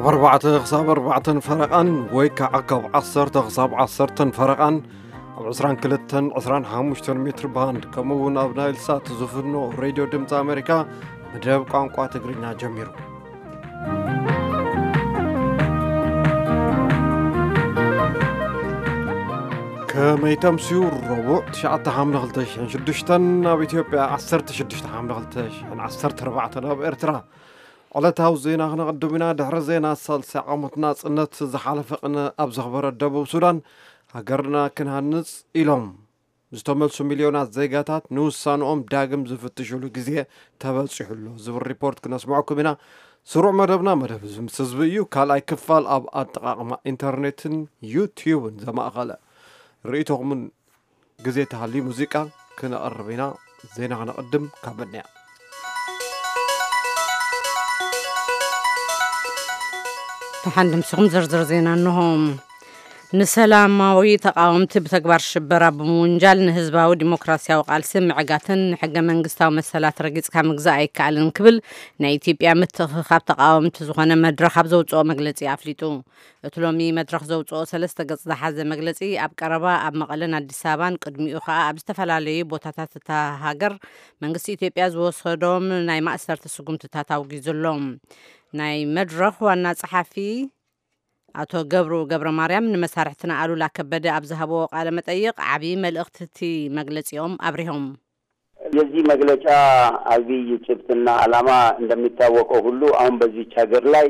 ካብ ኣርባዕተ ክሳብ ኣርባዕተን ፈረቓን ወይ ከዓ ካብ ዓሰርተ ክሳብ ዓሰርተን ፈረቓን ኣብ ዕስራን ክልተን ዕስራን ሓሙሽተን ሜትር ባንድ፣ ከምኡ እውን ኣብ ናይል ሳት ዝፍኖ ሬድዮ ድምፂ ኣሜሪካ መደብ ቋንቋ ትግርኛ ጀሚሩ። ከመይ ተምስዩ? ረቡዕ ትሽዓተ ሓምለ ክልተ ሽሕን ሽዱሽተን ኣብ ኢትዮጵያ፣ ዓሰርተ ሽዱሽተ ሓምለ ክልተ ሽሕን ዓሰርተ ኣርባዕተን ኣብ ኤርትራ። ዕለታዊ ዜና ክነቕድም ኢና። ድሕሪ ዜና፣ ሳልሳይ ዓመት ናጽነት ዝሓለፈ ቅነ ኣብ ዘኽበረ ደቡብ ሱዳን፣ ሃገርና ክንሃንጽ ኢሎም ዝተመልሱ ሚልዮናት ዜጋታት ንውሳንኦም ዳግም ዝፍትሽሉ ግዜ ተበጺሑ ኣሎ ዝብል ሪፖርት ክነስምዐኩም ኢና። ስሩዕ መደብና መደብ እዚ ምስ ህዝቢ እዩ። ካልኣይ ክፋል ኣብ ኣጠቓቕማ ኢንተርኔትን ዩትዩብን ዘማእኸለ ርእይቶኹምን ግዜ ተሃልዩ ሙዚቃ ክነቕርብ ኢና። ዜና ክነቕድም ካብ በድንያ። ደሓን ድምስኹም ዝርዝር ዜና እንሆ። ንሰላማዊ ተቃወምቲ ብተግባር ሽበራ ብምውንጃል ንህዝባዊ ዲሞክራሲያዊ ቃልሲ ምዕጋትን ንሕገ መንግስታዊ መሰላት ረጊጽካ ምግዛእ ኣይከኣልን ክብል ናይ ኢትዮጵያ ምትእኽኻብ ተቃወምቲ ዝኾነ መድረኽ ኣብ ዘውፅኦ መግለጺ ኣፍሊጡ። እቲ ሎሚ መድረኽ ዘውፅኦ ሰለስተ ገጽ ዝሓዘ መግለጺ፣ ኣብ ቀረባ ኣብ መቐለን ኣዲስ ኣበባን ቅድሚኡ ኸኣ ኣብ ዝተፈላለዩ ቦታታት እታ ሃገር መንግስቲ ኢትዮጵያ ዝወሰዶም ናይ ማእሰርቲ ስጉምትታት ኣውጊዙ ኣሎ። ናይ መድረኽ ዋና ጸሓፊ ኣቶ ገብሩ ገብረ ማርያም ንመሳርሕትና ኣሉላ ከበደ ኣብ ዝሃብዎ ቃለ መጠይቕ ዓብዪ መልእኽቲ እቲ መግለጺኦም ኣብሪሆም። የዚህ መግለጫ አብይ ጭብጥና ዓላማ እንደሚታወቀው ሁሉ አሁን በዚች ሀገር ላይ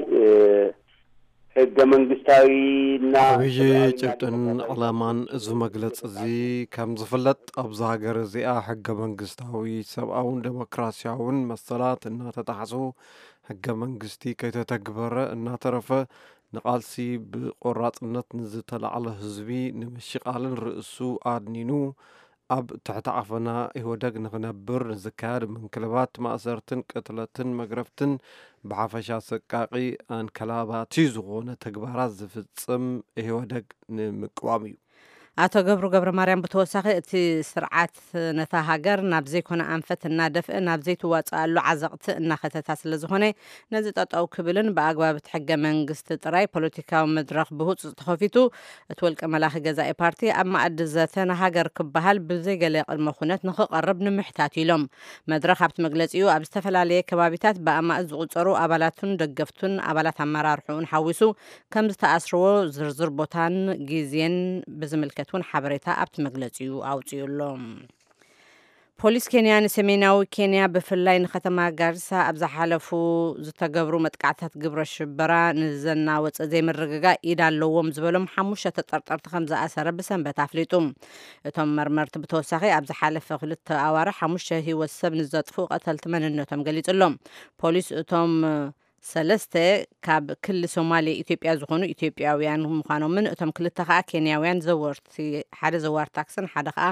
ህገ መንግስታዊና ዓብዪ ጭብጥን ዕላማን እዚ መግለፂ እዚ ከም ዝፍለጥ፣ ኣብዚ ሃገር እዚኣ ሕገ መንግስታዊ ሰብኣውን ዴሞክራሲያውን መሰላት እናተጣሕሱ፣ ሕገ መንግስቲ ከይተተግበረ እናተረፈ፣ ንቓልሲ ብቆራፅነት ንዝተላዕለ ህዝቢ ንምሽቓልን ርእሱ ኣድኒኑ ኣብ ትሕቲ ዓፈና ኢህወደግ ንኽነብር ንዝካየድ ምንክልባት፣ ማእሰርትን ቅትለትን መግረፍትን ብሓፈሻ ኣሰቃቒ ኣንከላባቲ ዝኾነ ተግባራት ዝፍጽም ኢህወደግ ንምቅዋም እዩ። ኣቶ ገብሩ ገብረ ማርያም ብተወሳኺ፣ እቲ ስርዓት ነታ ሃገር ናብ ዘይኮነ ኣንፈት እናደፍአ ናብ ዘይትዋፅኣሉ ዓዘቕቲ እናኸተታ ስለ ዝኾነ፣ ነዚ ጠጠው ክብልን ብኣግባብ እቲ ሕገ መንግስቲ ጥራይ ፖለቲካዊ መድረኽ ብህፁፅ ተኸፊቱ፣ እቲ ውልቀ መላኺ ገዛኢ ፓርቲ ኣብ መኣዲ ዘተ ንሃገር ክበሃል ብዘይገለ ቅድመ ኩነት ንኽቐርብ ንምሕታት ኢሎም። መድረኽ ኣብቲ መግለፂኡ፣ ኣብ ዝተፈላለየ ከባቢታት ብኣማእት ዝቑፀሩ ኣባላቱን ደገፍቱን ኣባላት ኣመራርሕኡን ሓዊሱ ከም ዝተኣስርዎ ዝርዝር ቦታን ግዜን ብዝምልከት እውን ሓበሬታ ኣብቲ መግለፂኡ ኣውፂኡ ኣሎ። ፖሊስ ኬንያ ንሰሜናዊ ኬንያ ብፍላይ ንከተማ ጋርሳ ኣብ ዝሓለፉ ዝተገብሩ መጥቃዕትታት ግብረ ሽበራ ንዘናወፀ ዘይምርግጋእ ኢድ ኣለዎም ዝበሎም ሓሙሽተ ተጠርጠርቲ ከም ዝኣሰረ ብሰንበት ኣፍሊጡ። እቶም መርመርቲ ብተወሳኺ ኣብ ዝሓለፈ ክልተ ኣዋርሕ ሓሙሽተ ህይወት ሰብ ንዘጥፍኡ ቀተልቲ መንነቶም ገሊጹ ኣሎ። ፖሊስ እቶም ሰለስተ ካብ ክሊ ሶማሌ ኢትዮጵያ ዝኾኑ ኢትዮጵያውያን ምዃኖምን እቶም ክልተ ከኣ ኬንያውያን ዘወርቲ ሓደ ዘዋር ታክስን ሓደ ከኣ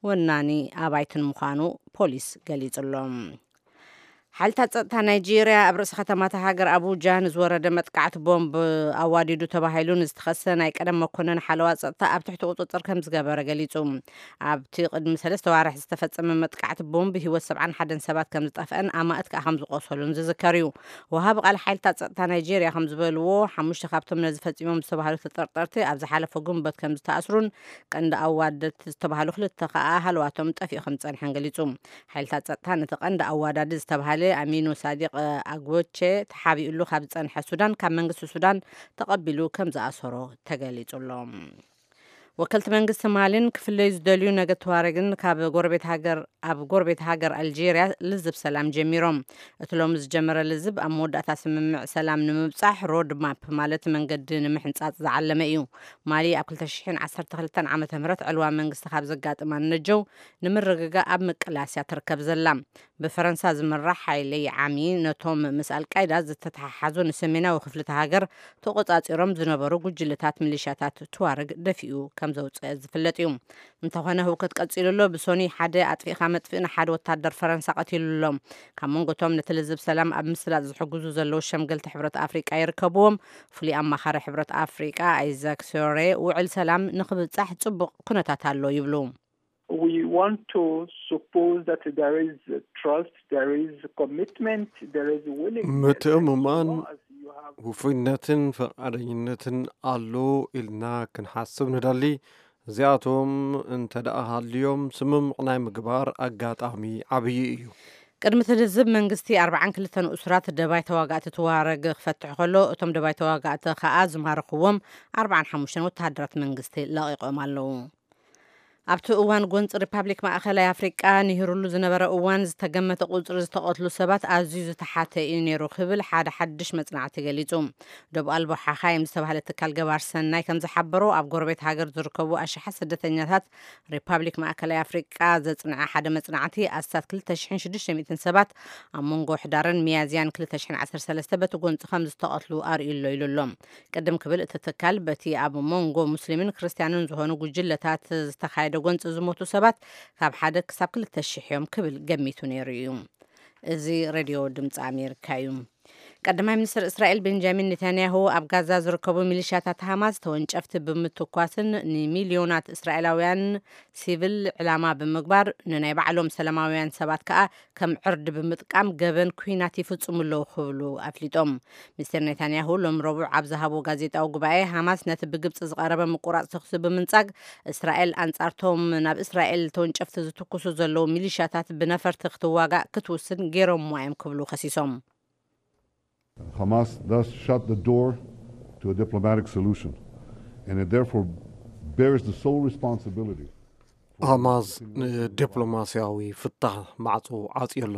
ወናኒ ኣባይትን ምዃኑ ፖሊስ ገሊጹ ኣሎ። ሓይልታት ጸጥታ ናይጄርያ ኣብ ርእሲ ከተማታ ሃገር ኣቡጃ ንዝወረደ መጥቃዕቲ ቦምብ ኣዋዲዱ ተባሂሉ ንዝተኸሰ ናይ ቀደም መኮነን ሓለዋ ጸጥታ ኣብ ትሕቲ ቁጽጽር ከም ዝገበረ ገሊጹ። ኣብቲ ቅድሚ ሰለስተ ዋርሕ ዝተፈጸመ መጥቃዕቲ ቦምብ ህይወት ሰብዓን ሓደን ሰባት ከም ዝጠፍአን ኣማእት ከኣ ከም ዝቆሰሉን ዝዝከር እዩ። ወሃቢ ቃል ሓይልታት ጸጥታ ናይጄርያ ከም ዝበልዎ፣ ሓሙሽተ ካብቶም ነዚ ፈጺሞም ዝተባህሉ ተጠርጠርቲ ኣብ ዝሓለፈ ግንቦት ከም ዝተኣስሩን ቀንዲ ኣዋደድቲ ዝተባህሉ ክልተ ከኣ ሃለዋቶም ጠፊኡ ከም ዝጸንሐን ገሊጹ። ሓይልታት ጸጥታ ነቲ ቀንዲ ኣዋዳዲ ዝተባህለ ኣሚኑ ሳዲቅ ኣግቦቼ ተሓቢኡሉ ካብ ዝጸንሐ ሱዳን፣ ካብ መንግስቲ ሱዳን ተቐቢሉ ከም ዝኣሰሮ ተገሊጹ ኣሎ። ወከልቲ መንግስቲ ማሊን ክፍለዩ ዝደልዩ ነገድ ተዋረግን ካብ ጎረቤት ሃገር ኣብ ጎረቤት ሃገር ኣልጄርያ ልዝብ ሰላም ጀሚሮም። እቲ ሎሚ ዝጀመረ ልዝብ ኣብ መወዳእታ ስምምዕ ሰላም ንምብጻሕ ሮድ ማፕ ማለት መንገዲ ንምሕንጻጽ ዝዓለመ እዩ። ማሊ ኣብ ክልተ ሽሕን ዓሰርተ ክልተን ዓመተ ምህረት ዕልዋ መንግስቲ ካብ ዘጋጥማ ንነጀው ንምርግጋእ ኣብ ምቅላስ እያ ትርከብ ዘላ። ብፈረንሳ ዝምራሕ ሓይሊ ዓሚ ነቶም ምስ ኣልቃይዳ ዝተተሓሓዙ ንሰሜናዊ ክፍሊ እታ ሃገር ተቖጻጺሮም ዝነበሩ ጉጅለታት ሚሊሻታት ቱዋረግ ደፊኡ ከም ዘውጽአ ዝፍለጥ እዩ። እንተኾነ ህውከት ቀጺሉ ኣሎ። ብሶኒ ሓደ ኣጥፊእካ መጥፍእ ንሓደ ወታደር ፈረንሳ ቀቲሉ ኣሎ። ካብ መንጎቶም ነቲ ልዝብ ሰላም ኣብ ምስላጥ ዝሕግዙ ዘለዉ ሸምገልቲ ሕብረት ኣፍሪቃ ይርከብዎም። ፍሉይ ኣማኻሪ ሕብረት ኣፍሪቃ ኣይዛክ ሶሬ ውዕል ሰላም ንኽብጻሕ ጽቡቕ ኩነታት ኣሎ ይብሉ። We want to suppose that there is trust, there is commitment, there is willingness. ምትእምማን፣ ውፉይነትን ፍቓደኝነትን ኣሎ ኢልና ክንሓስብ ንደሊ። እዚኣቶም እንተ ደኣ ሃልዮም፣ ስምምቕ ናይ ምግባር ኣጋጣሚ ዓብዪ እዩ። ቅድሚ እቲ ልዝብ መንግስቲ ኣርባዓን ክልተን እሱራት ደባይ ተዋጋእቲ ትዋረግ ክፈትሕ ከሎ፣ እቶም ደባይ ተዋጋእቲ ከኣ ዝማረኽዎም ኣርባዓን ሓሙሽተን ወተሃደራት መንግስቲ ለቒቖም ኣለዉ። ኣብቲ እዋን ጎንፂ ሪፓብሊክ ማእኸላይ ኣፍሪቃ ንሂሩሉ ዝነበረ እዋን ዝተገመተ ቁፅሪ ዝተቐትሉ ሰባት ኣዝዩ ዝተሓተ እዩ ነይሩ ክብል ሓደ ሓድሽ መፅናዕቲ ገሊፁ። ዶብ ኣልቦ ሓኻይም ዝተባህለ ትካል ገባር ሰናይ ከም ዝሓበሮ፣ ኣብ ጎረቤት ሃገር ዝርከቡ ኣሽሓት ስደተኛታት ሪፓብሊክ ማእከላይ ኣፍሪቃ ዘፅንዐ ሓደ መፅናዕቲ፣ ኣስታት ክልተ ሽሕን ሽዱሽተ ሚእትን ሰባት ኣብ መንጎ ሕዳርን ሚያዝያን ክልተ ሽሕን ዓሰርተ ሰለስተ በቲ ጎንፂ ከም ዝተቐትሉ ኣርእዩ ኣሎ ኢሉ ኣሎ። ቅድም ክብል እቲ ትካል በቲ ኣብ መንጎ ሙስሊምን ክርስትያንን ዝኾኑ ጉጅለታት ዝተኻየደ ጎንፂ ዝሞቱ ሰባት ካብ ሓደ ክሳብ ክልተ ሽሕ እዮም ክብል ገሚቱ ነይሩ እዩ። እዚ ሬድዮ ድምፂ ኣሜሪካ እዩ። ቀዳማይ ሚኒስትር እስራኤል ቤንጃሚን ኔታንያሁ ኣብ ጋዛ ዝርከቡ ሚሊሻታት ሃማስ ተወንጨፍቲ ብምትኳስን ንሚልዮናት እስራኤላውያን ሲቪል ዕላማ ብምግባር ንናይ ባዕሎም ሰላማውያን ሰባት ከኣ ከም ዕርዲ ብምጥቃም ገበን ኲናት ይፍጽሙ ኣለዉ ክብሉ ኣፍሊጦም። ሚስተር ኔታንያሁ ሎም ረቡዕ ኣብ ዝሃቦ ጋዜጣዊ ጉባኤ፣ ሃማስ ነቲ ብግብጺ ዝቐረበ ምቁራጽ ተኹሲ ብምንጻግ፣ እስራኤል ኣንጻርቶም ናብ እስራኤል ተወንጨፍቲ ዝትኩሱ ዘለዉ ሚሊሻታት ብነፈርቲ ክትዋጋእ ክትውስን ገይሮምዋ እዮም ክብሉ ከሲሶም። Hamas thus shut the door to a diplomatic solution, and it therefore bears the sole responsibility. ሃማስ ንዲፕሎማስያዊ ፍታሕ ማዕጾ ዓጽዮ ኣሎ።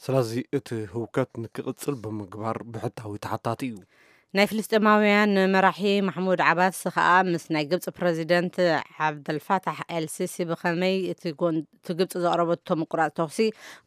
ስለዚ እቲ ህውከት ንክቕጽል ብምግባር ብሕታዊ ተሓታቲ እዩ። ናይ ፍልስጤማውያን መራሒ ማሕሙድ ዓባስ ከኣ ምስ ናይ ግብጺ ፕረዚደንት ዓብደልፋታሕ ኤልሲሲ ብኸመይ እቲ ጎን እቲ ግብጺ ዘቕረበቶ ምቁራጽ ተኹሲ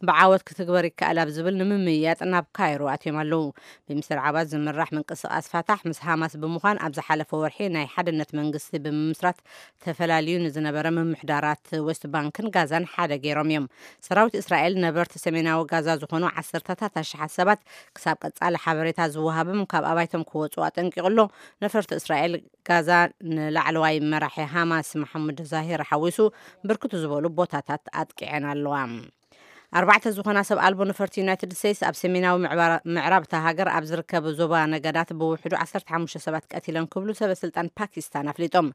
ብዓወት ክትግበር ይከኣል ኣብ ዝብል ንምምይያጥ ናብ ካይሮ ኣትዮም ኣለዉ። ብሚስተር ዓባስ ዝምራሕ ምንቅስቓስ ፋታሕ ምስ ሃማስ ብምዃን ኣብ ዝሓለፈ ወርሒ ናይ ሓድነት መንግስቲ ብምምስራት ተፈላልዩ ንዝነበረ ምምሕዳራት ዌስት ባንክን ጋዛን ሓደ ገይሮም እዮም። ሰራዊት እስራኤል ነበርቲ ሰሜናዊ ጋዛ ዝኾኑ ዓሰርተታት ኣሽሓት ሰባት ክሳብ ቀጻሊ ሓበሬታ ዝወሃብም ካብ ኣባይቶም ክወጹ ኣጠንቂቑ ኣሎ። ነፈርቲ እስራኤል ጋዛ ንላዕለዋይ መራሒ ሃማስ መሓሙድ ዛሂር ሓዊሱ ብርክት ዝበሉ ቦታታት ኣጥቂዐን ኣለዋ። ኣርባዕተ ዝኾና ሰብ ኣልቦ ነፈርቲ ዩናይትድ ስቴትስ ኣብ ሰሜናዊ ምዕባራ- ምዕራብ እታ ሃገር ኣብ ዝርከብ ዞባ ነገዳት ብውሕዱ ዓሰርተ ሓሙሽተ ሰባት ቀቲለን ክብሉ ሰበ ስልጣን ፓኪስታን ኣፍሊጦም።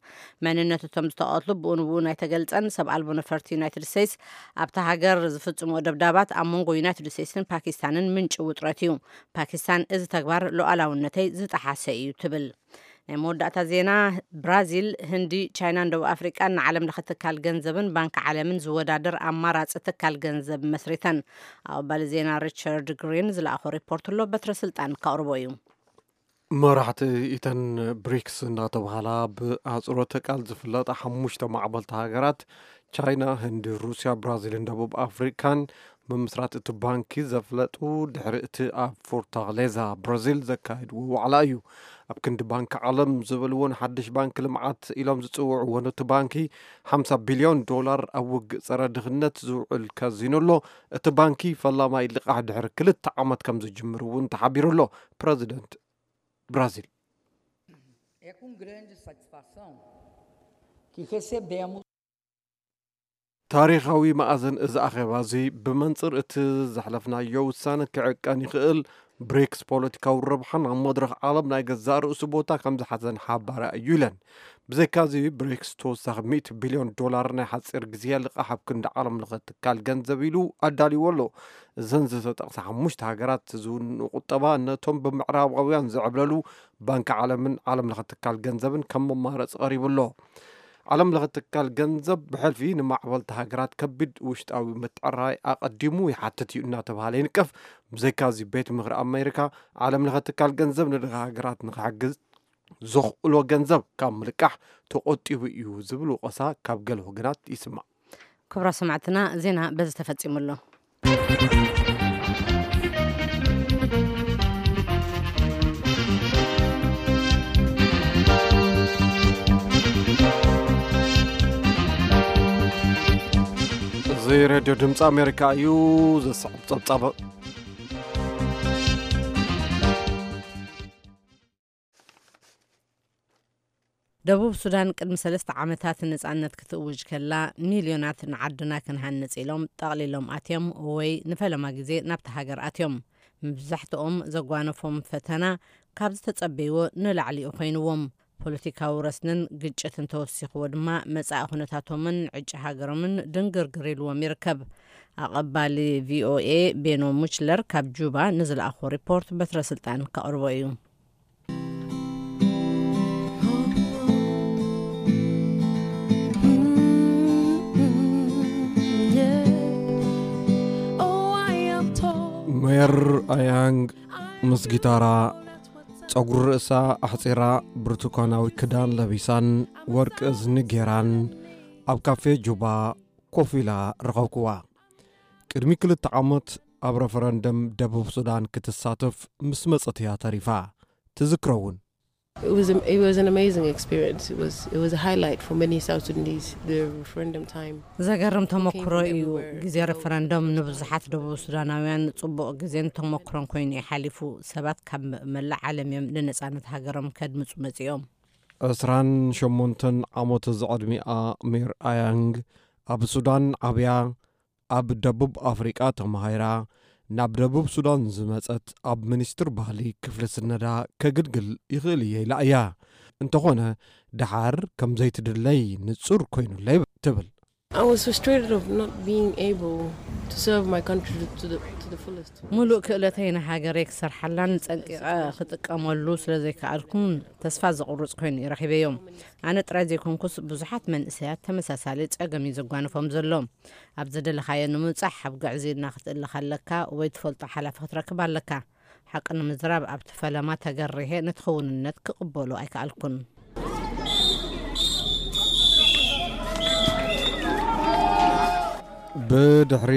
መንነት እቶም ዝተቐትሉ ብኡ ንብኡ ኣይተገልጸን። ሰብ ኣልቦ ነፈርቲ ዩናይትድ ስቴትስ ኣብታ ሃገር ዝፍጽምዎ ደብዳባት ኣብ መንጎ ዩናይትድ ስቴትስን ፓኪስታንን ምንጪ ውጥረት እዩ። ፓኪስታን እዚ ተግባር ሉዓላውነተይ ዝጠሓሰ እዩ ትብል። ናይ መወዳእታ ዜና፣ ብራዚል፣ ህንዲ፣ ቻይናን ደቡብ ኣፍሪቃን ንዓለም ለኸ ትካል ገንዘብን ባንኪ ዓለምን ዝወዳደር ኣማራጺ ትካል ገንዘብ መስሪተን። ኣብ ኣባሊ ዜና ሪቻርድ ግሪን ዝለኣኾ ሪፖርት ኣሎ፣ በትረ ስልጣን ከቕርቦ እዩ። መራሕቲ እተን ብሪክስ እናተባህላ ብኣህጽሮተ ቃል ዝፍለጣ ሓሙሽተ ማዕበልቲ ሃገራት ቻይና፣ ህንዲ፣ ሩስያ፣ ብራዚልን ደቡብ ኣፍሪካን ምምስራት እቲ ባንኪ ዘፍለጡ ድሕሪ እቲ ኣብ ፎርታሌዛ ብራዚል ዘካየድዎ ዋዕላ እዩ። ኣብ ክንዲ ባንኪ ዓለም ዝበልዎን ሓድሽ ባንኪ ልምዓት ኢሎም ዝጽውዕዎን እቲ ባንኪ ሓምሳ ቢልዮን ዶላር ኣብ ውግእ ጸረ ድኽነት ዝውዕል ከዚኑ ኣሎ። እቲ ባንኪ ፈላማይ ልቓሕ ድሕሪ ክልተ ዓመት ከም ዝጅምር እውን ተሓቢሩ ኣሎ። ፕረዚደንት ብራዚል። É com grande satisfação que recebemos ታሪኻዊ መኣዝን እዚ ኣኼባ እዚ ብመንጽር እቲ ዘሕለፍናዮ ውሳነ ክዕቀን ይኽእል፣ ብሪክስ ፖለቲካዊ ረብሓን ኣብ መድረኽ ዓለም ናይ ገዛእ ርእሱ ቦታ ከም ዝሓዘን ሓባሪ እዩ ኢለን። ብዘይካዚ ብሪክስ ተወሳኺ ሚእቲ ቢልዮን ዶላር ናይ ሓጺር ግዜ ልቓሕ ኣብ ክንዲ ዓለም ለኸ ትካል ገንዘብ ኢሉ ኣዳልይዎ ኣሎ። እዘን ዝተጠቕሳ ሓሙሽተ ሃገራት ዝውንኡ ቁጠባ ነቶም ብምዕራባውያን ዝዕብለሉ ባንኪ ዓለምን ዓለም ለኸ ትካል ገንዘብን ከም መማረፂ ቀሪቡ ኣሎ። ዓለም ለኸ ትካል ገንዘብ ብሕልፊ ንማዕበልቲ ሃገራት ከቢድ ውሽጣዊ ምትዕራይ ኣቐዲሙ ይሓትት እዩ እናተባሃለ ይንቀፍ። ብዘይካዚ ቤት ምኽሪ ኣሜሪካ ዓለም ለኸ ትካል ገንዘብ ንድኻ ሃገራት ንክሕግዝ ዘኽእሎ ገንዘብ ካብ ምልቃሕ ተቆጢቡ እዩ ዝብል ወቐሳ ካብ ገለ ወገናት ይስማዕ። ክቡራ ሰማዕትና፣ ዜና በዚ ተፈጺሙ ኣሎ። እዚ ሬድዮ ድምፂ ኣሜሪካ እዩ። ዘስዕብ ጸብጻብ። ደቡብ ሱዳን ቅድሚ ሰለስተ ዓመታት ነጻነት ክትእውጅ ከላ፣ ሚልዮናት ንዓድና ክንሃንጽ ኢሎም ጠቕሊሎም ኣትዮም ወይ ንፈለማ ግዜ ናብቲ ሃገር ኣትዮም። መብዛሕትኦም ዘጓነፎም ፈተና ካብ ዝተጸበይዎ ንላዕሊኡ ኮይንዎም። ፖለቲካዊ ረስንን ግጭትን ተወሲኽዎ ድማ መጻኢ ኩነታቶምን ዕጭ ሃገሮምን ድንግርግር ኢልዎም ይርከብ። ኣቐባሊ ቪኦኤ ቤኖ ሙችለር ካብ ጁባ ንዝለኣኾ ሪፖርት በትረ ስልጣን ከቕርቦ እዩ። ሜር ኣያንግ ምስ ጊታራ፣ ጸጉሪ ርእሳ ኣሕጺራ፣ ብርቱካናዊ ክዳን ለቢሳን ወርቂ እዝኒ ጌራን ኣብ ካፌ ጁባ ኮፍ ኢላ ረኸብክዋ። ቅድሚ ክልተ ዓመት ኣብ ረፈረንደም ደቡብ ሱዳን ክትሳተፍ ምስ መጸት እያ ተሪፋ። ትዝክሮ እውን። It was, a, it was an amazing experience. It was, it was a highlight for many South Sudanese, the referendum time. ዘገርም ተመክሮ እዩ። ግዜ ረፈረንደም ንብዙሓት ደቡብ ሱዳናውያን ጽቡቕ ግዜን ተመክሮን ኮይኑ እዩ ሓሊፉ። ሰባት ካብ መላእ ዓለም እዮም ንነጻነት ሃገሮም ከድምጹ መጺኦም። ዕስራን ሸሞንተን ዓመት ዝዕድሚኣ ሜር ኣያንግ ኣብ ሱዳን ዓብያ፣ ኣብ ደቡብ ኣፍሪቃ ተማሂራ፣ ናብ ደቡብ ሱዳን ዝመጸት፣ ኣብ ሚኒስትር ባህሊ ክፍሊ ስነዳ ከግልግል ይኽእል እየ ኢላ እያ። እንተኾነ፣ ደሓር ከም ዘይትድለይ ንጹር ኮይኑለይ ትብል። I was frustrated of not being able to serve my country to the, to the fullest. ሙሉእ ክእለተይ ንሃገረይ ክሰርሓላን ጸንቂቐ ክጥቀመሉ ስለ ዘይከኣልኩን ተስፋ ዘቑርጽ ኮይኑ እዩ ረኺበዮ። ኣነ ጥራይ ዘይኮንኩስ ብዙሓት መንእሰያት ተመሳሳሊ ጸገም እዩ ዘጓንፎም ዘሎ። ኣብ ዝደለኻዮ ንምብጻሕ ኣብ ጉዕዞ ኢድና ክትእለ ከለካ ወይ ትፈልጦ ሓላፊ ክትረክብ ኣለካ። ሓቂ ንምዝራብ ኣብቲ ፈለማ ተገሪሀ ነቲ ክውንነት ክቕበሎ ኣይከኣልኩን። ብድሕሪ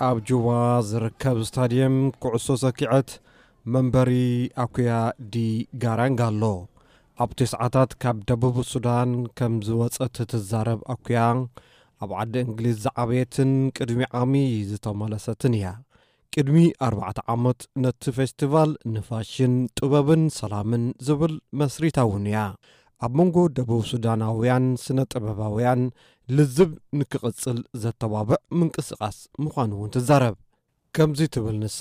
ኣብ ጁባ ዝርከብ ስታድየም ኩዕሶ ሰኪዐት መንበሪ ኣኩያ ዲ ጋራንግ ኣሎ። ኣብ ተስዓታት ካብ ደቡብ ሱዳን ከም ዝወጸት ትዛረብ ኣኩያ፣ ኣብ ዓዲ እንግሊዝ ዝዓበየትን ቅድሚ ዓሚ ዝተመለሰትን እያ። ቅድሚ ኣርባዕተ ዓመት ነቲ ፌስቲቫል ንፋሽን፣ ጥበብን ሰላምን ዝብል መስሪታ እውን እያ። ኣብ መንጎ ደቡብ ሱዳናውያን ስነ ጥበባውያን ልዝብ ንክቕጽል ዘተባብዕ ምንቅስቓስ ምዃኑ እውን ትዛረብ። ከምዚ ትብል ንሳ።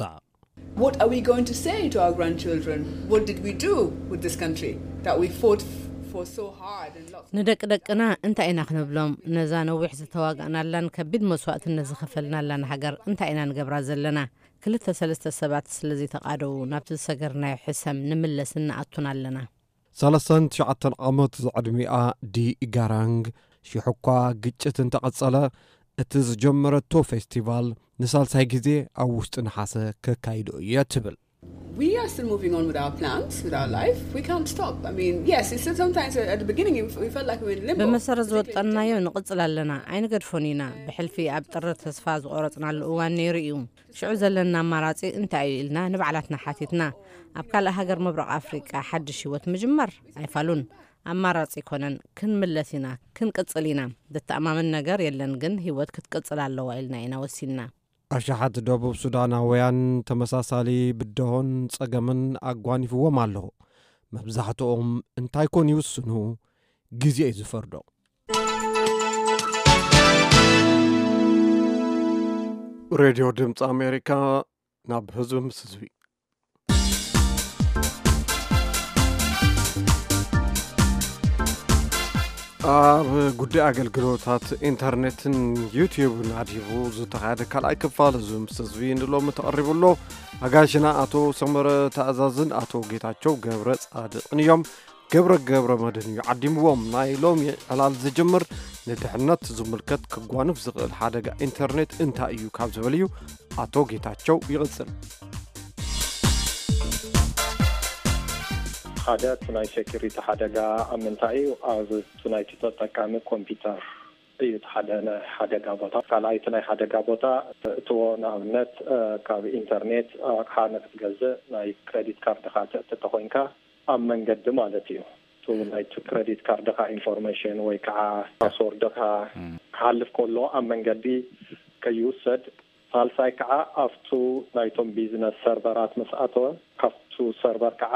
What are we going to say to our grandchildren? What did we do with this country that we fought f- for so hard and lost? ንደቂ ደቅና እንታይ ኢና ክንብሎም? ነዛ ነዊሕ ዝተዋጋእናላን ከቢድ መስዋእትነት ዝኸፈልናላን ሃገር እንታይ ኢና ንገብራ ዘለና? ክልተ ሰለስተ ሰባት ስለ ዘይተቓደዉ ናብቲ ዝሰገርናዮ ሕሰም ንምለስን ንኣቱን ኣለና። ሰለስተን ትሽዓተን ዓመት ዝዕድሚኣ ዲ ጋራንግ፣ ሽሕ እኳ ግጭት እንተቐጸለ፣ እቲ ዝጀመረቶ ፌስቲቫል ንሳልሳይ ግዜ ኣብ ውሽጢ ነሓሰ ከካይዶ እየ ትብል። We are still moving on with our plans, with our life. We can't stop. I mean, yes, it's still sometimes at the beginning we felt like we were in limbo. ብመሰረት ዝወጠንናዮ ንቕጽል ኣለና፣ ኣይንገድፎን ኢና። ብሕልፊ ኣብ ጥሪ ተስፋ ዝቖረጽናሉ እዋን ነይሩ እዩ። ሽዑ ዘለና ኣማራጺ እንታይ እዩ ኢልና ንባዕላትና ሓቲትና። ኣብ ካልእ ሃገር ምብራቕ ኣፍሪቃ ሓድሽ ህይወት ምጅማር ኣይፋሉን። ኣማራጺ ኣይኮነን። ክንምለስ ኢና፣ ክንቅጽል ኢና። ዘተኣማምን ነገር የለን፣ ግን ህይወት ክትቅጽል ኣለዋ ኢልና ኢና ወሲንና። ኣሽሓት ደቡብ ሱዳናውያን ተመሳሳሊ ብድሆን ጸገምን ኣጓኒፍዎም ኣሎ። መብዛሕትኦም እንታይ ኮን ይውስኑ? ግዜ እዩ ዝፈርዶ። ሬድዮ ድምፂ ኣሜሪካ፣ ናብ ህዝቢ ምስ ህዝቢ። ኣብ ጉዳይ ኣገልግሎታት ኢንተርኔትን ዩትዩብን ኣድሂቡ ዝተኻየደ ካልኣይ ክፋል እዚ ምስ ህዝቢ ንሎሚ ተቐሪቡ ኣሎ። ኣጋይሽና ኣቶ ሰመረ ተኣዛዝን ኣቶ ጌታቸው ገብረ ጻድቕን እዮም። ገብረ ገብረ መድህን እዩ ዓዲምዎም። ናይ ሎሚ ዕላል ዝጅምር ንድሕነት ዝምልከት ክጓንፍ ዝኽእል ሓደጋ ኢንተርኔት እንታይ እዩ ካብ ዝብል እዩ። ኣቶ ጌታቸው ይቕጽል። ሓደ እቲ ናይ ሴኩሪቲ ሓደጋ ኣብ ምንታይ እዩ? ኣብ እቲ ናይቲ ተጠቃሚ ኮምፒውተር እዩ እቲ ሓደ ናይ ሓደጋ ቦታ። ካልኣይ እቲ ናይ ሓደጋ ቦታ እትዎ ንኣብነት ካብ ኢንተርኔት ኣቕሓ ንክትገዝእ ናይ ክሬዲት ካርድኻ ተእቲ ተኾይንካ ኣብ መንገዲ ማለት እዩ። እቲ ናይቲ ክሬዲት ካርድኻ ኢንፎርሜሽን ወይ ከዓ ፓስወርድኻ ክሓልፍ ከሎ ኣብ መንገዲ ከይውሰድ። ሳልሳይ ከዓ ኣብቱ ናይቶም ቢዝነስ ሰርቨራት ምስ ኣተወ ካብቱ ሰርቨር ከዓ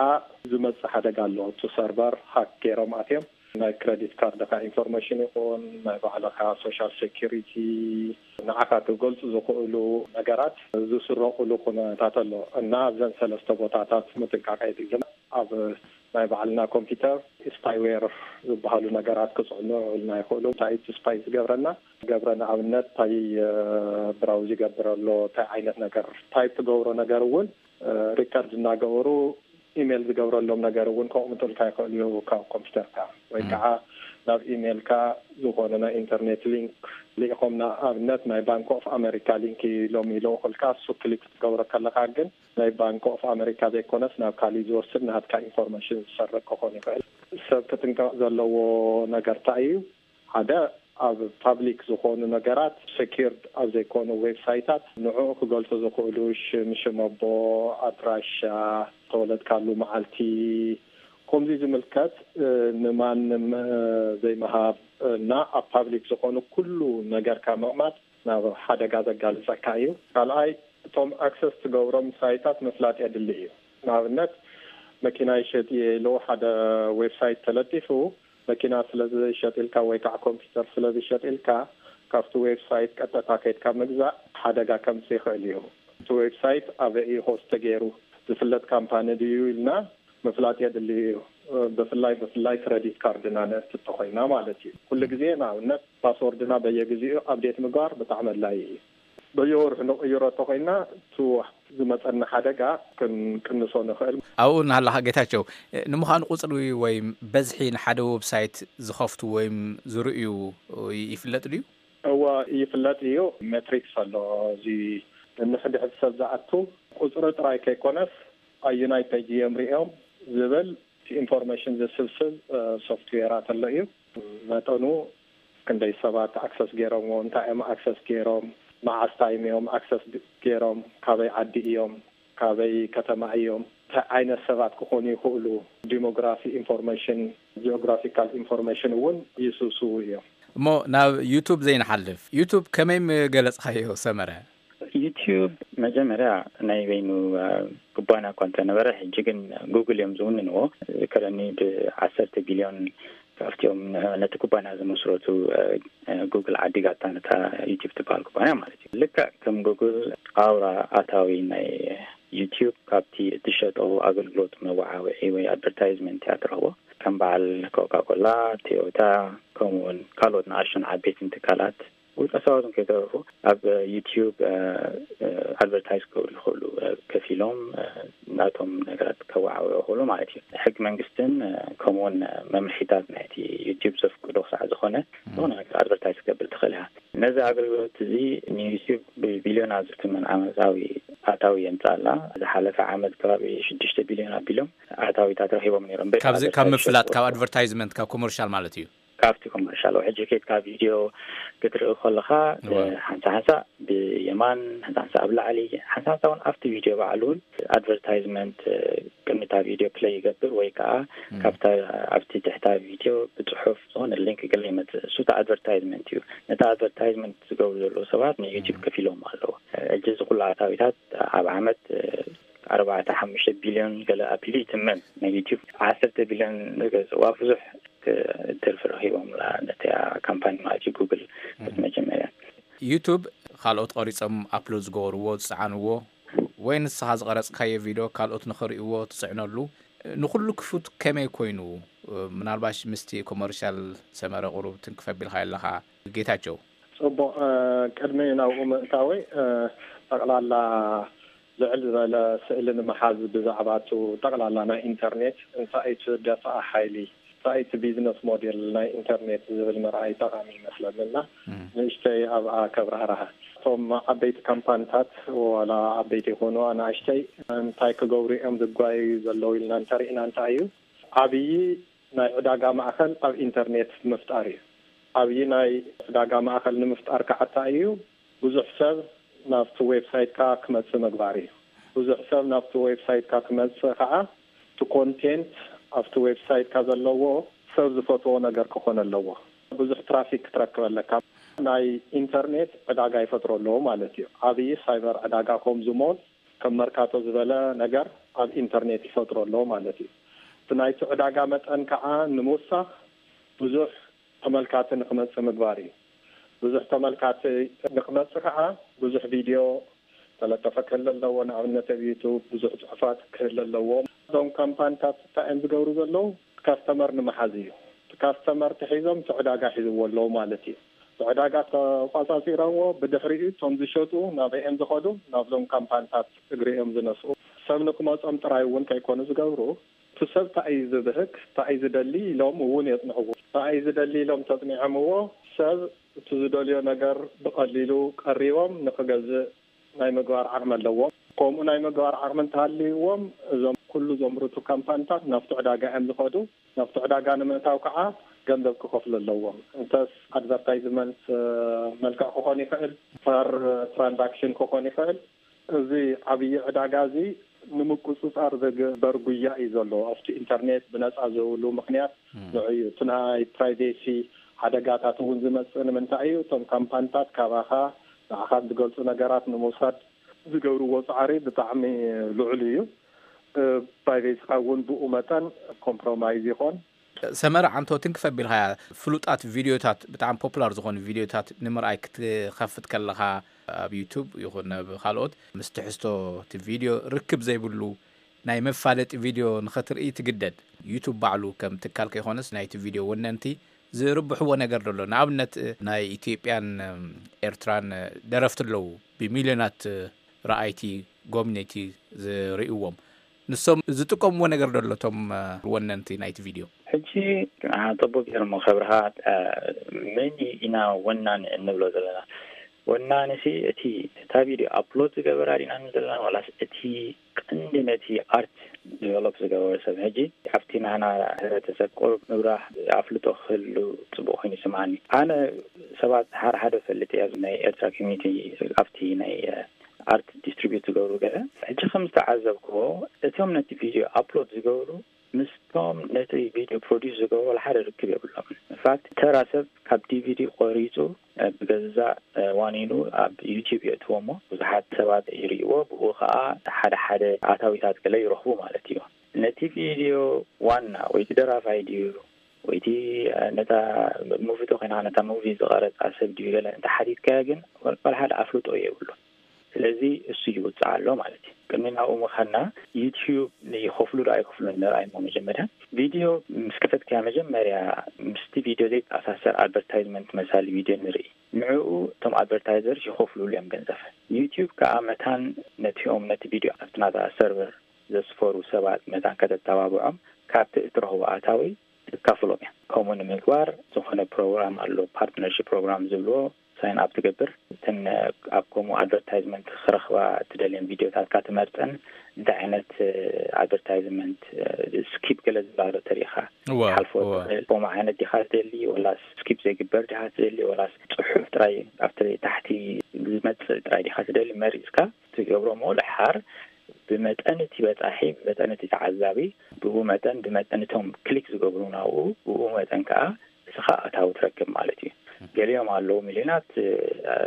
ዝመፅእ ሓደጋ ኣሎ። እቱ ሰርቨር ሃክ ገይሮም ኣትዮም ናይ ክረዲት ካርድካ ኢንፎርሜሽን ይኹን ናይ ባዕልኻ ሶሻል ሴኪሪቲ ንዓኻ ክገልጹ ዝኽእሉ ነገራት ዝስረቑሉ ኩነታት ኣሎ እና ኣብዘን ሰለስተ ቦታታት ምጥንቃቕ የድሊ። ኣብ ናይ ባዕልና ኮምፒውተር ስፓይዌር ዝበሃሉ ነገራት ክጽዕኑ ይኽእሉ። እንታይ እቲ ስፓይ ዝገብረና ገብረ ንኣብነት እንታይ ብራውዝ ይገብር ኣሎ እንታይ ዓይነት ነገር ታይፕ ትገብሮ ነገር እውን ሪከርድ እናገበሩ ኢሜይል ዝገብረሎም ነገር እውን ከቕምጡልካ ይኽእሉ እዩ ካብ ኮምፒውተርካ ወይ ከዓ ናብ ኢሜይልካ ዝኾነ ናይ ኢንተርኔት ሊንክ ልኢኾም ንኣብነት ናይ ባንክ ኦፍ ኣሜሪካ ሊንክ ኢሎም ይልእኹልካ እሱ ክሊክ ክትገብሮ ከለካ ግን ናይ ባንክ ኦፍ ኣሜሪካ ዘይኮነስ ናብ ካሊእ ዝወስድ ናትካ ኢንፎርሜሽን ዝሰርቅ ክኾን ይኽእል። ሰብ ክጥንቀቕ ዘለዎ ነገር እንታይ እዩ? ሓደ ኣብ ፓብሊክ ዝኾኑ ነገራት ሴኪርድ ኣብ ዘይኮኑ ዌብሳይታት ንዕኡ ክገልጹ ዝኽእሉ ሽም ሽም ኣቦ ኣድራሻ ተወለድካሉ መዓልቲ ከምዚ ዝምልከት ንማንም ዘይምሃብ እና ኣብ ፓብሊክ ዝኾኑ ኩሉ ነገርካ ምቕማጥ ናብ ሓደጋ ዘጋልጸካ እዩ። ካልኣይ እቶም ኣክሰስ ትገብሮም ሳይታት ምፍላጥ የድሊ እዩ። ንኣብነት መኪና ይሸጥ እየ ኢሉ ሓደ ዌብሳይት ተለጢፉ መኪና ስለ ዝሸጥ ኢልካ ወይ ከዓ ኮምፒውተር ስለ ዝሸጥ ኢልካ ካብቲ ዌብሳይት ቀጥታ ከይድካ ምግዛእ ሓደጋ ከምፅእ ይኽእል እዩ። እቲ ዌብሳይት ኣበይ እዩ ሆስት ተገይሩ ዝፍለጥ ካምፓኒ ድዩ ኢልና ምፍላጥ የድሊ እዩ። ብፍላይ ብፍላይ ክረዲት ካርድና ነእቲ እንተኾይና ማለት እዩ። ኩሉ ግዜ ንኣብነት ፓስወርድና በየግዜኡ ኣብዴት ምግባር ብጣዕሚ ኣድላይ እዩ። በየወርሑ ንቕይሮ እንተኾይና እቲ ዝመፀና ሓደጋ ክንቅንሶ ንኽእል። ኣብኡ እናሃለኻ ጌታቸው፣ ንምዃኑ ቁፅሪ ወይ በዝሒ ንሓደ ዌብሳይት ዝኸፍቱ ወይም ዝርእዩ ይፍለጥ ድዩ? እወ ይፍለጥ እዩ። ሜትሪክስ ኣሎ። እዚ ንሕድሕድ ሰብ ዝኣቱ ቁፅሪ ጥራይ ከይኮነስ ኣዩናይ ፔጅ እዮም ሪኦም ዝብል ኢንፎርሜሽን ዝስብስብ ሶፍትዌራት ኣሎ እዩ። መጠኑ ክንደይ ሰባት ኣክሰስ ገይሮምዎ፣ እንታይ እዮም ኣክሰስ ገይሮም፣ መዓስ ታይም እዮም ኣክሰስ ገይሮም፣ ካበይ ዓዲ እዮም፣ ካበይ ከተማ እዮም፣ እንታይ ዓይነት ሰባት ክኾኑ ይኽእሉ፣ ዲሞግራፊ ኢንፎርሜሽን፣ ጂኦግራፊካል ኢንፎርሜሽን እውን ይስብስቡ እዮም። እሞ ናብ ዩቱብ ዘይንሓልፍ፣ ዩቱብ ከመይ ምገለጽካዮ ሰመረ? ዩቲዩብ መጀመርያ ናይ በይኑ ኩባንያ እኳ እንተነበረ፣ ሕጂ ግን ጉግል እዮም ዝውንንዎ። ዝከረኒ ብዓሰርተ ቢልዮን ካብቲኦም ነቲ ኩባንያ ዝመስረቱ ጉግል ዓዲጋታ ነታ ዩቲዩብ ትበሃል ኩባንያ ማለት እዩ። ልክዕ ከም ጉግል ኣውራ ኣታዊ ናይ ዩቲዩብ ካብቲ እትሸጦ ኣገልግሎት መወዓውዒ ወይ ኣድቨርታይዝመንት እያ ትረኽቦ። ከም በዓል ኮካኮላ፣ ቶዮታ፣ ከምኡውን ካልኦት ንኣሽቱን ዓበይትን ትካላት ውልቀ ሰባት እውን ከይተረፉ ኣብ ዩቲዩብ ኣድቨርታይዝ ክገብሩ ይኽእሉ፣ ከፊሎም ናቶም ነገራት ከወዓውዑ ይኽእሉ ማለት እዩ። ሕጊ መንግስትን ከምኡውን መምርሒታት ናይቲ ዩቲዩብ ዘፍቅዶ ክሳዕ ዝኾነ ዝኾነ ነገር ኣድቨርታይዝ ክገብር ትኽእል እያ። ነዚ ኣገልግሎት እዚ ንዩቲዩብ ብቢልዮናት ዝትመን ዓመታዊ ኣታዊ የምፅኣላ። ዝሓለፈ ዓመት ከባቢ ሽዱሽተ ቢልዮን ኣቢሎም ኣታዊታት ረኺቦም ነይሮም። በቲ ካብ ዚ- ካብ ኣድቨርታይዝ ምፍላጥ ዝሸጡ ካብ ኣድቨርታይዝመንት ካብ ኮመርሻል ማለት እዩ። ካብቲ ኮመርሻል ሕጂ ኬድካ ቪድዮ ክትርኢ ከለኻ እወ። ሓንሳ ሓንሳ ብየማን ሓንሳ ሓንሳ ኣብ ላዕሊ ሓንሳ ሓንሳ እውን ኣብቲ ቪድዮ ባዕሉ እውን ኣድቨርታይዝመንት ቅድሚታ ቪድዮ ፕለይ ይገብር ወይ ከዓ ም። ካብታ ኣብቲ ትሕታ ቪድዮ ብፅሑፍ ዝኾነ ሊንክ ገለ ይመፅእ። እሱ እቲ ኣድቨርታይዝመንት እዩ። ነቲ ኣድቨርታይዝመንት ዝገብሩ ዘለዉ ሰባት ንዩቲብ ም። ከፊሎም ኣለዉ። ሕጂ እዚ ኩሉ ኣታዊታት ኣብ ዓመት ኣርባዕተ ሓሙሽተ ቢልዮን ገለ ኣቢሉ ይትመን። ናይ ዩቲብ ዓሰርተ ቢልዮን ዝገዝእዋ ብዙሕ ትርፊ ረኺቦምላ ነቲያ ካምፓኒ ማለት እዩ ጉግል። በቲ መጀመርያ ዩቱብ ካልኦት ቀሪጾም ኣፕሎድ ዝገበርዎ ዝጸዓንዎ ወይ ንስኻ ዝቐረጽካዮ ቪድዮ ካልኦት ንኽርእይዎ ትጽዕነሉ ንኹሉ ክፉት ከመይ ኮይኑ? ምናልባሽ ምስቲ ኮመርሻል ሰመረ ቁሩብ ትንክፍ ኣቢልካ ኣለኻ ጌታቸው። ጽቡቕ። ቅድሚ ናብኡ ምእታወይ ጠቕላላ ልዕል ዝበለ ስእሊ ንምሓዝ ብዛዕባ እቲ ጠቕላላ ናይ ኢንተርኔት እንታይ እቲ ደፍኣ ሓይሊ እንታይ እቲ ቢዝነስ ሞዴል ናይ ኢንተርኔት ዝብል ምርኣይ ጠቓሚ ይመስለኒ እና ንእሽተይ ኣብኣ ከብራህርሃ። እቶም ዓበይቲ ካምፓኒታት ዋላ ዓበይቲ ይኾኑ ኣናእሽተይ እንታይ ክገብሩ እዮም ዝጓየዩ ዘለዉ ኢልና እንተርኢና እንታይ እዩ ዓብዪ ናይ ዕዳጋ ማእኸል ኣብ ኢንተርኔት ምፍጣር እዩ። ኣብይ ናይ ዕዳጋ ማእኸል ንምፍጣር ከዓ እንታይ እዩ ብዙሕ ሰብ ናብቲ ዌብሳይትካ ክመፅእ ምግባር እዩ። ብዙሕ ሰብ ናብቲ ዌብሳይትካ ክመፅእ ከዓ እቲ ኮንቴንት ኣብቲ ዌብሳይትካ ዘለዎ ሰብ ዝፈትዎ ነገር ክኾን ኣለዎ። ብዙሕ ትራፊክ ክትረክብ ኣለካ። ናይ ኢንተርኔት ዕዳጋ ይፈጥሮ ኣለዎ ማለት እዩ። ዓብዪ ሳይበር ዕዳጋ ከምዚ ሞል ከም መርካቶ ዝበለ ነገር ኣብ ኢንተርኔት ይፈጥሮ ኣሎ ማለት እዩ። እቲ ናይቲ ዕዳጋ መጠን ከዓ ንምውሳኽ ብዙሕ ተመልካቲ ንክመጽእ ምግባር እዩ። ብዙሕ ተመልካቲ ንክመጽእ ከዓ ብዙሕ ቪድዮ ተለጠፈ ክህል ኣለዎ። ንኣብነት ኣብ ዩቱብ ብዙሕ ጽሑፋት ክህል ኣለዎ። እዞም ካምፓኒታት እንታይ እዮም ዝገብሩ ዘለዉ? ካስተመር ንምሓዝ እዩ። ካስተመር ተሒዞም እቲ ዕዳጋ ሒዝዎ ኣለዉ ማለት እዩ። እቲ ዕዳጋ ተቋጻጺሮምዎ፣ ብድሕሪኡ እቶም ዝሸጡ ናበይ እዮም ዝኸዱ? ናብዞም ካምፓኒታት እግሪ እዮም ዝነስኡ። ሰብ ንክመጾም ጥራይ እውን ከይኮኑ ዝገብሩ፣ እቲ ሰብ እንታይ እዩ ዝብህግ፣ እንታይ እዩ ዝደሊ ኢሎም እውን የጽንዕዎ። እንታይ እዩ ዝደሊ ኢሎም ተጽኒዖምዎ፣ ሰብ እቲ ዝደልዮ ነገር ብቐሊሉ ቀሪቦም ንክገዝእ ናይ ምግባር ዓቕሚ ኣለዎም። ከምኡ ናይ ምግባር ዓቕሚ እንተሃልይዎም፣ እዞም ኩሉ ዘምርቱ ካምፓኒታት ናብቲ ዕዳጋ እዮም ዝኸዱ። ናብቲ ዕዳጋ ንምእታው ከዓ ገንዘብ ክኸፍሉ ኣለዎም። እንተስ ኣድቨርታይዝመንት፣ እ፣ መልክዕ ክኾን ይኽእል፣ ፐር ትራንዛክሽን ክኾን ይኽእል። እዚ ዓብዪ ዕዳጋ እዚ ንምቁጽጻር ዝግበር ጉያ እዩ ዘሎ። ኣብቲ ኢንተርኔት ብነጻ ዝህብሉ ምኽንያት ንዑ እዩ። እቲ ናይ ፕራይቬሲ ሓደጋታት እውን ዝመጽእ ንምንታይ እዩ? እቶም ካምፓኒታት ካባኻ ንዓኻ ዝገልጹ ነገራት ንምውሳድ ዝገብርዎ ጻዕሪ ብጣዕሚ ልዑል እዩ። ፕራይቬሲኻ እውን ብኡ መጠን ኮምፕሮማይዝ ይኾን። ሰመረ ዓንቶ፣ ትንክፍ ኣቢልካያ፣ ፍሉጣት ቪድዮታት፣ ብጣዕሚ ፖፑላር ዝኾኑ ቪድዮታት ንምርኣይ ክትኸፍት ከለኻ፣ ኣብ ዩቱብ ይኹን ኣብ ካልኦት፣ ምስ ትሕዝቶ እቲ ቪድዮ ርክብ ዘይብሉ ናይ መፋለጢ ቪድዮ ንኸትርኢ ትግደድ። ዩቱብ ባዕሉ ከም ትካል ከይኮነስ ናይቲ ቪድዮ ወነንቲ ዝርብሕዎ ነገር ደሎ። ንኣብነት ናይ ኢትዮጵያን፣ እም፣ ኤርትራን ደረፍቲ ኣለዉ፣ ብሚልዮናት ረኣይቲ፣ ጎብነይቲ ዝርእይዎም። ንሶም ዝጥቀምዎ ነገር ደሎ፣ እቶም፣ እ፣ ወነንቲ ናይቲ ቪድዮ? ሕጂ፣ አ፣ ጽቡቅ ገይሮም ከብርሃ፣ አ፣ መን ኢና ወናኒ እንብሎ ዘለና? ወናኒ ሲ እቲ፣ እታ ቪድዮ ኣፕሎድ ዝገበራ ዲና ንብል ዘለና፣ ዋላስ እቲ ቀንዲ ነቲ ኣርት ዲቨሎፕ ዝገበረ ሰብ? ሕጂ ኣብቲ ናህና ሕብረተሰብ ቁሩብ ምብራህ ኣፍልጦ ክህሉ ጽቡቅ ኮይኑ ይስምዓኒ። ኣነ ሰባት ሓደ ሓደ ፈልጥ እየ፣ ኣብ ናይ ኤርትራ ኮሚኒቲ፣ ኣብቲ ናይ፣ እ፣ ኣርት ዲስትሪቢዩት ዝገብሩ ገለ። ሕጂ ከም ዝተዓዘብክዎ፣ እቶም ነቲ ቪድዮ ኣፕሎድ ዝገብሩ ምስቶም ነቲ ቪድዮ ፕሮዲስ ዝገብሩ ወላ ሓደ ርክብ የብሎም። ኢንፋክት፣ ተራ ሰብ ካብ ዲቪዲ ቆሪጹ፣ እ፣ ብገዛእ፣ እ፣ ዋኒኑ ኣብ ዩቲዩብ የእትዎ እሞ፣ ብዙሓት ሰባት ይርእይዎ፣ ብኡ ኸኣ ሓደ ሓደ ኣታዊታት ገለ ይረኽቡ ማለት እዩ። ነቲ ቪድዮ ዋና ወይ እቲ ደራፋይ ድዩ ወይ እቲ፣ እ፣ ነታ ሙቪ ተኾይና ነታ ሙቪ ዝቐረጻ ሰብ ድዩ ገለ እንተ ሓቲትካዮ ግን፣ ወላ ሓደ ኣፍልጦ የብሉን። ስለዚ እሱ ይውጽእ ኣሎ ማለት እዩ። ቅድሚ ናብኡ ምኻድና፣ ዩቲዩብ ይኸፍሉ ዶ ኣይከፍሉን ንርኣይ እሞ፣ መጀመርያ ቪድዮ ምስ ከፈትካያ፣ መጀመርያ ምስቲ ቪድዮ ዘይተኣሳሰር ኣድቨርታይዝመንት መሳሊ ቪድዮ ንርኢ። ንዕኡ እቶም ኣድቨርታይዘርስ ይኸፍሉሉ እዮም ገንዘብ። ዩቲዩብ ከኣ መታን ነቲኦም ነቲ ቪድዮ ኣብቲ ናታ ሰርቨር ዘስፈሩ ሰባት መታን ከተተባብዖም፣ ካብቲ እትረኽቦ ኣታዊ ትካፍሎም እያ። ከምኡ ንምግባር ዝኾነ ፕሮግራም ኣሎ፣ ፓርትነርሺፕ ፕሮግራም ዝብልዎ፣ ሳይን ኣፕ ትገብር። እተን ኣብ ከምኡ ኣድቨርታይዝመንት ክረኽባ እትደልየን ቪድዮታትካ ትመርጸን፣ እንታይ ዓይነት፣ እ፣ ኣድቨርታይዝመንት፣ እ፣ ስኪፕ ገለ ዝበሃሎ ተሪኻ እወ፣ ትሓልፎ እወ። ትኽእል። ከምኡ ዓይነት ዲኻ ትደሊ፣ ወላስ ስኪፕ ዘይግበር ዲኻ ትደሊ፣ ወላስ ጽሑፍ ጥራይ ኣብቲ ታሕቲ ዝመጽእ ጥራይ ዲኻ ትደሊ መሪጽካ ትገብሮ። እሞ ደሓር ብመጠን እቲ በጻሒ፣ ብመጠን እቲ ተዓዛቢ፣ ብኡ መጠን፣ ብመጠን እቶም ክሊክ ዝገብሩ ናብኡ፣ ብኡ መጠን ከኣ እስኻ ኣታዊ ትረክብ ማለት እዩ። ገሊኦም ኣለዉ ሚልዮናት፣ እ፣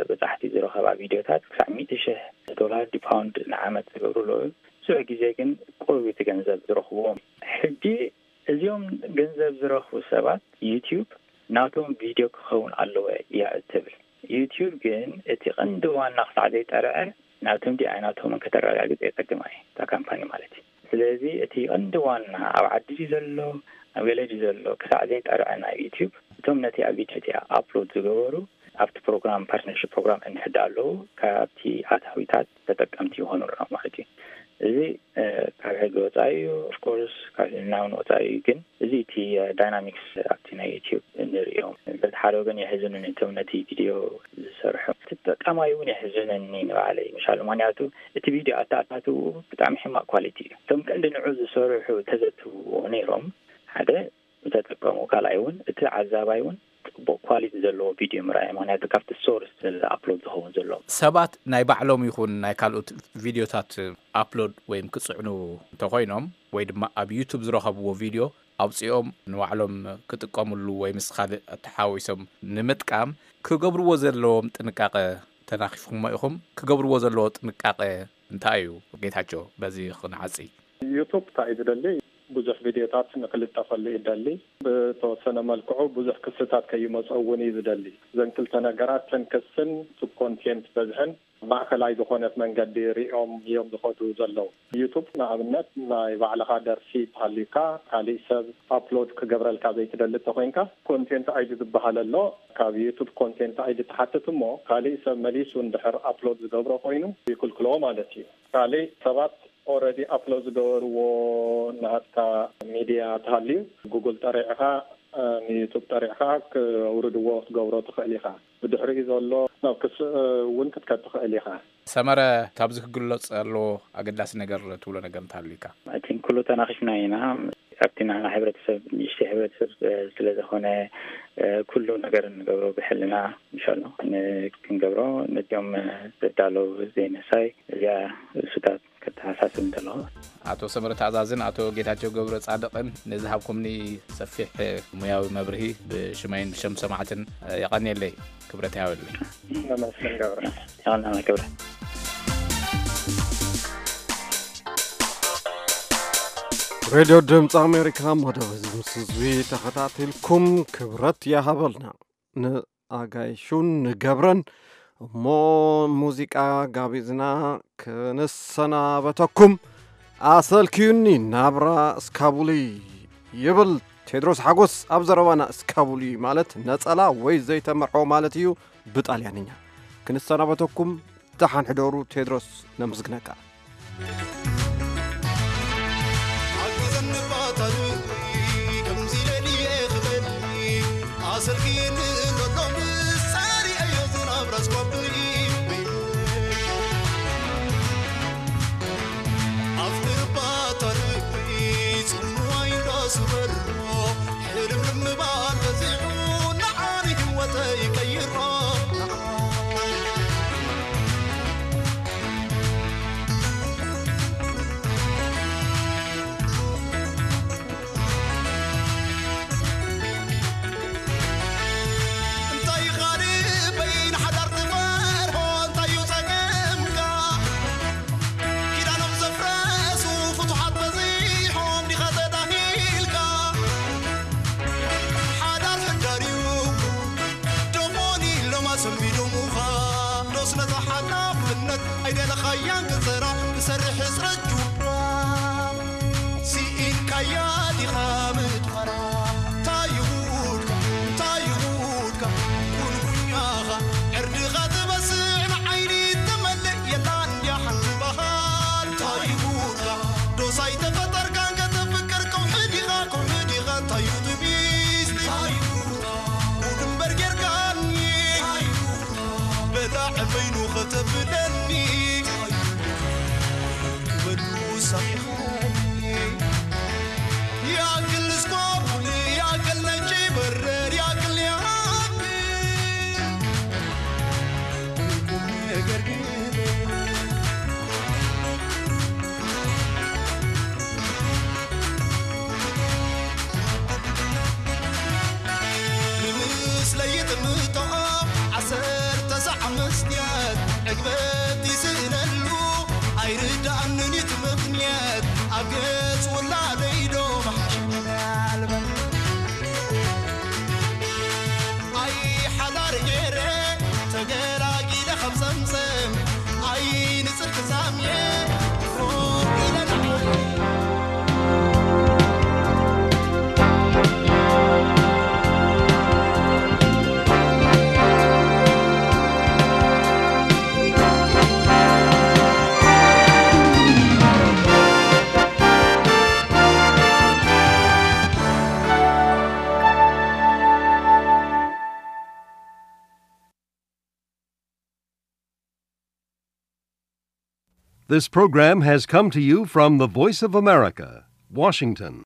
በጻሕቲ ዝረኸባ ቪድዮታት ክሳዕ ሚእቲ ሽሕ ዶላር ድዩ ፓውንድ ንዓመት ዝገብሩ ኣለዉ። ብዙሕ ግዜ ግን ቁሩብ እቲ ገንዘብ ዝረኽብዎም። ሕጂ እዚኦም ገንዘብ ዝረኽቡ ሰባት ዩቲዩብ ናቶም ቪድዮ ክኸውን ኣለዎ እያ እትብል። ዩቲዩብ ግን እቲ ቀንዲ ዋና ክሳዕ ዘይጠርዐ ናቶም ድዩ ኣይናቶምን ከተረጋግጽ የጸግማ እዩ፣ እታ ካምፓኒ ማለት እዩ። ስለዚ እቲ ቀንዲ ዋና ኣብ ዓዲ ድዩ ዘሎ፣ ኣብ ገለ ድዩ ዘሎ ክሳዕ ዘይጠርዐ ናይ ዩቲዩብ፣ እቶም ነቲ ኣብ ቪድዮ እቲኣ ኣፕሎድ ዝገበሩ ኣብቲ ፕሮግራም፣ ፓርትነርሺፕ ፕሮግራም እንሕዳ ኣለዉ፣ ካብቲ ኣታዊታት ተጠቀምቲ ይኾኑ ኣለዉ ማለት እዩ። እዚ፣ እ፣ ካብ ሕጊ ወጻኢ እዩ። ኦፍኮርስ፣ ካብ ሕልና እውን ወጻኢ እዩ። ግን እዚ እቲ፣ እ፣ ዳይናሚክስ ኣብቲ ናይ ዩቲዩብ እንርእዮም። በቲ ሓደ ወገን የሕዝኑኒ እቶም ነቲ ቪድዮ ዝሰርሑ። እቲ ተጠቃማይ እውን የሕዝነኒ ንባዕለይ፣ ምሻሉ። ምኽንያቱ እቲ ቪድዮ ኣተኣታትውኡ ብጣዕሚ ሕማቕ ኳሊቲ እዩ። እቶም ቀንዲ ንዑ ዝሰርሑ ተዘትውዎ ነይሮም፣ ሓደ ተጠቀሙ፣ ካልኣይ እውን እቲ ተዓዛባይ እውን ጽቡቕ ኳሊቲ ዘለዎ ቪድዮ ምርኣይ፣ ምኽንያቱ ካብቲ ሶርስ ኣፕሎድ ዝኸውን ዘሎ። ሰባት ናይ ባዕሎም ይኹን ናይ ካልኦት ቪድዮታት ኣፕሎድ ወይም ክጽዕኑ እንተኾይኖም፣ ወይ ድማ ኣብ ዩቱብ ዝረኸብዎ ቪድዮ ኣውጺኦም ንባዕሎም ክጥቀምሉ ወይ ምስ ካልእ ተሓዋዊሶም ንምጥቃም ክገብርዎ ዘለዎም ጥንቃቐ ተናኺፍኩሞ ኢኹም። ክገብርዎ ዘለዎ ጥንቃቐ እንታይ እዩ? ጌታቸው፣ በዚ ክንዓጺ። ዩቱብ እንታይ እዩ ዝደሊ? ብዙሕ ቪድዮታት ንክልጠፈሉ ይደሊ። ብተወሰነ መልክዑ ብዙሕ ክስታት ከይመፀ እውን እዩ ዝደሊ። እዘን ክልተ ነገራት፣ ተን ክስን ሱብ ኮንቴንት በዝሕን፣ ማእከላይ ዝኾነት መንገዲ ሪኦም እዮም ዝኸዱ ዘለዉ። ዩቱብ ንኣብነት፣ ናይ ባዕልኻ ደርፊ ተሃልዩካ፣ ካሊእ ሰብ ኣፕሎድ ክገብረልካ ዘይትደሊ እንተኮይንካ፣ ኮንቴንት ኣይዲ ዝበሃል ኣሎ። ካብ ዩቱብ ኮንቴንት ኣይዲ ትሓትት እሞ፣ ካሊእ ሰብ መሊሱ እንድሕር ኣፕሎድ ዝገብሮ ኮይኑ ይክልክሎ ማለት እዩ። ካሊእ ሰባት ኦረዲ ኣፕሎድ ዝገበርዎ፣ ናትካ ሚድያ ተሃልዩ፣ ጉግል ጠሪዕኻ፣ ንዩቱብ ጠሪዕኻ ክውርድዎ ክትገብሮ ትኽእል ኢኻ። ብድሕሪኡ ዘሎ ናብ ክስ እውን ክትከድ ትኽእል ኢኻ። ሰመረ፣ ካብዚ ክግለጽ ኣለዎ ኣገዳሲ ነገር ትብሎ ነገር እንተሃልዩካ? ኣይ ቲንክ ኩሉ ተናኺፍና ኢና። ኣብቲ ናና ሕብረተሰብ፣ ንእሽተይ ሕብረተሰብ ስለ ዝኾነ፣ ኩሉ ነገር ንገብሮ ብሕልና፣ ምሻሎ ክንገብሮ፣ ነዚኦም ዘዳለዉ ዘይነሳይ እዚኣ ርእሱታት ከተሓሳስብ እንተለኹ። ኣቶ ሰመረ ተኣዛዝን ኣቶ ጌታቸው ገብረ ጻድቕን ንዝሃብኩምኒ ሰፊሕ ሙያዊ መብርሂ ብሽመይን ብሸም ሰማዕትን የቐንየለይ። ክብረት ያወለይ። ነመስገን ገብረ። የቐንየለይ ክብረት። ሬድዮ ድምፂ ኣሜሪካ፣ መደብ እዚ ምስ ህዝቢ ተኸታቲልኩም ክብረት ይሃበልና። ንኣጋይሹን ንገብረን እሞ ሙዚቃ ጋቢዝና ክንሰናበተኩም። ኣሰልክዩኒ ናብራ እስካቡሊ ይብል ቴድሮስ ሓጎስ ኣብ ዘረባና። እስካቡሊ ማለት ነጸላ ወይ ዘይተመርሖ ማለት እዩ ብጣልያንኛ። ክንሰናበተኩም፣ ደሓን ሕደሩ። ቴድሮስ፣ ነመስግነካ። ኣግዘኒ ባታሪ፣ ከምዚ ለልየ ክበል፣ ኣሰልክየኒ ዘሎ ምሳሪ ኣዮ ዝናብ ራስኳብኒ። ኣፍቅር ባታሪ፣ ጽምዋይ እንዳስበሮ፣ ሕልምልም ባል በዚሑ፣ ንዓኒ ህይወተይ ቀይሮ። እንታይ ካልእ በይን ሓዳር ትፈርሆ፣ እንታይ እዩ ጸገምካ? ኪዳኖም ዘፍረሱ ፍቱሓት በዚሖም ዲኻ ተዳሂልካ? ሓዳር ሕዳር እዩ ዶሞኒ ኢሎም ኣሰንቢዶሙኻ። ዶስ ነዛ ሓላፍነት ኣይደለኻያን ክትሰራ፣ ክሰርሕ ሕጽረት ጁባ። ስኢንካያ ዲኻ ምድፋራ? እንታይ ይጉድካ? እንታይ ይጉድካ? ጉንጉኛኻ ዕርድኻ ትበስዕ ንዓይኒ ትመልእ የላን ድያ ሓንቲ ባህል? እንታይ ይጉድካ? ዶስ ኣይተፈጠርካን ከተፍቅር ከውሒ ዲኻ? ከውሒ ዲኻ? እንታይ እዩ ትቢስ? እንታይ ይጉድካ? ጉድ እምበር ጌርካኒ። እንታይ ይጉድካ? በላዕ በይኑ ከተብለኒ። ክበሉ ሳይኾኒ። ያክል እስኳ ቡኒ፣ ያክል ነጭ በረር፣ ያክል ያክል ቁም ነገር ግን ንምስለይ ጥምቶ ዓሰርተ ሳዕ መስትያት ዕግበት ይስእነሉ ኣይርዳእንን እቲ ምኽንያት ኣብ ገጽ ውላደይ ዶ መሓሽ ምናልባት ኣይ ሓዳር ገይረ ተገላጊለ ካብ ጸምጸም ኣይ ንጽድቂ ዛምየ ፎቕ ኢለ ንዓይ This program has come to you from the Voice of America, Washington.